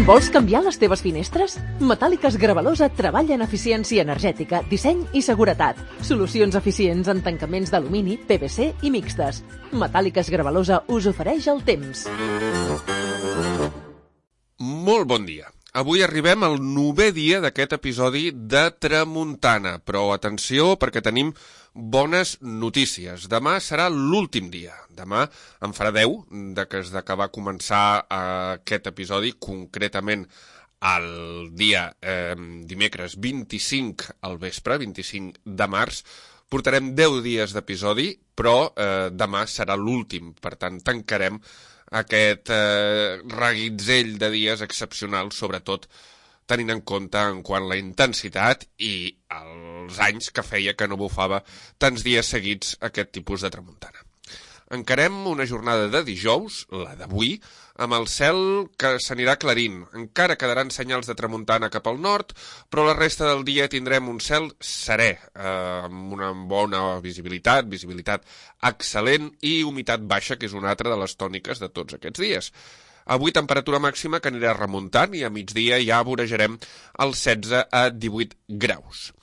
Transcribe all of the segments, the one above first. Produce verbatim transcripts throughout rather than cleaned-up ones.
Vols canviar les teves finestres? Metàl·liques Gravalosa treballa en eficiència energètica, disseny i seguretat. Solucions eficients en tancaments d'alumini, P V C i mixtes. Metàl·liques Gravalosa us ofereix el temps. Molt bon dia. Avui arribem al novè dia d'aquest episodi de Tramuntana, però atenció perquè tenim bones notícies. Demà serà l'últim dia. Demà en farà deu de que es que va començar aquest episodi, concretament el dia eh, dimecres vint-i-cinc al vespre, vint-i-cinc de març. Portarem deu dies d'episodi, però eh, demà serà l'últim. Per tant, tancarem aquest eh, reguitzell de dies excepcional, sobretot tenint en compte en quant la intensitat i els anys que feia que no bufava tants dies seguits aquest tipus de tramuntana. Encarem una jornada de dijous, la d'avui, amb el cel que s'anirà aclarint. Encara quedaran senyals de tramuntana cap al nord, però la resta del dia tindrem un cel serè, eh, amb una bona visibilitat, visibilitat excel·lent i humitat baixa, que és una altra de les tòniques de tots aquests dies. Avui temperatura màxima que anirà remuntant i a migdia ja vorejarem els setze a divuit graus.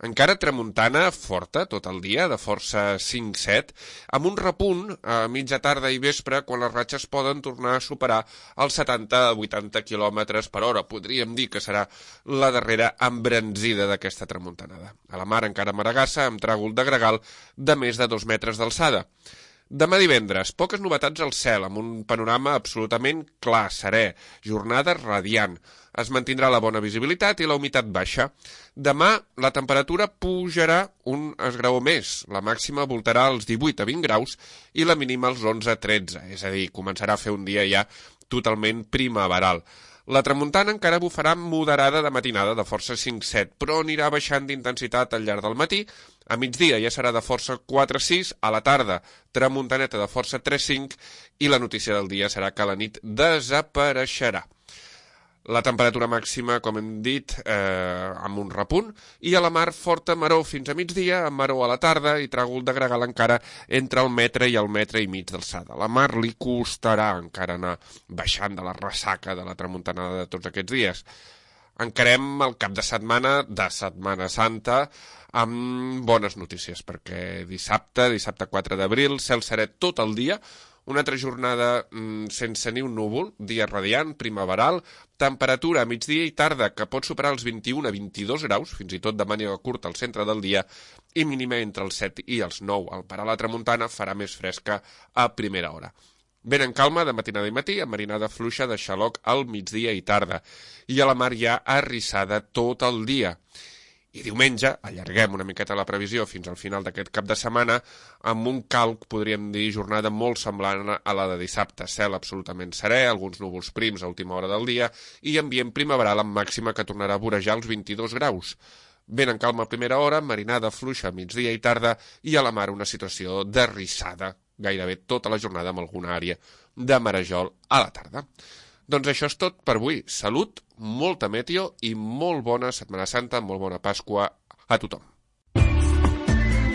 Encara tramuntana forta tot el dia, de força cinc set, amb un repunt a mitja tarda i vespre quan les ratxes poden tornar a superar els setanta a vuitanta quilòmetres per hora. Podríem dir que serà la darrera embranzida d'aquesta tramuntanada. A la mar encara maragassa amb tràgol de gregal de més de dos metres d'alçada. Demà divendres, poques novetats al cel, amb un panorama absolutament clar, serè, jornada radiant. Es mantindrà la bona visibilitat i la humitat baixa. Demà la temperatura pujarà un esgraó més. La màxima voltarà als divuit a vint graus i la mínima als onze a tretze. És a dir, començarà a fer un dia ja totalment primaveral. La tramuntana encara bufarà moderada de matinada, de força cinc set, però anirà baixant d'intensitat al llarg del matí. A migdia ja serà de força quatre sis, a la tarda tramuntaneta de força tres cinc i la notícia del dia serà que a la nit desapareixerà. La temperatura màxima, com hem dit, eh, amb un repunt, i a la mar forta maror fins a migdia, amb maror a la tarda i tràgol de gregal encara entre el metre i el metre i mig d'alçada. A la mar li costarà encara anar baixant de la ressaca de la tramuntanada de tots aquests dies. Encarem el cap de setmana de Setmana Santa amb bones notícies, perquè dissabte, dissabte quatre d'abril, cel serè tot el dia, una altra jornada mm, sense ni un núvol, dia radiant, primaveral, temperatura a migdia i tarda que pot superar els vint-i-un a vint-i-dos graus, fins i tot de màniga curta al centre del dia, i mínima entre els set i els nou. Al parar la tramuntana farà més fresca a primera hora. Vent en calma de matinada i matí, amb marinada fluixa de xaloc al migdia i tarda, i a la mar ja arrissada tot el dia. I diumenge allarguem una miqueta la previsió fins al final d'aquest cap de setmana amb un calc, podríem dir, jornada molt semblant a la de dissabte. Cel absolutament serè, alguns núvols prims a última hora del dia i ambient primaveral amb màxima que tornarà a vorejar els vint-i-dos graus. Vent en calma a primera hora, marinada fluixa a migdia i tarda i a la mar una situació d'arrissada gairebé tota la jornada amb alguna àrea de marejol a la tarda. Doncs això és tot per avui. Salut, molta meteo i molt bona Setmana Santa, molt bona Pasqua a tothom.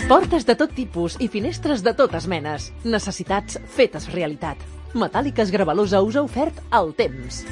Portes de tot tipus i finestres de totes menes. Necessitats fetes realitat. Metàl·liques Gravalosa us ha ofert el temps.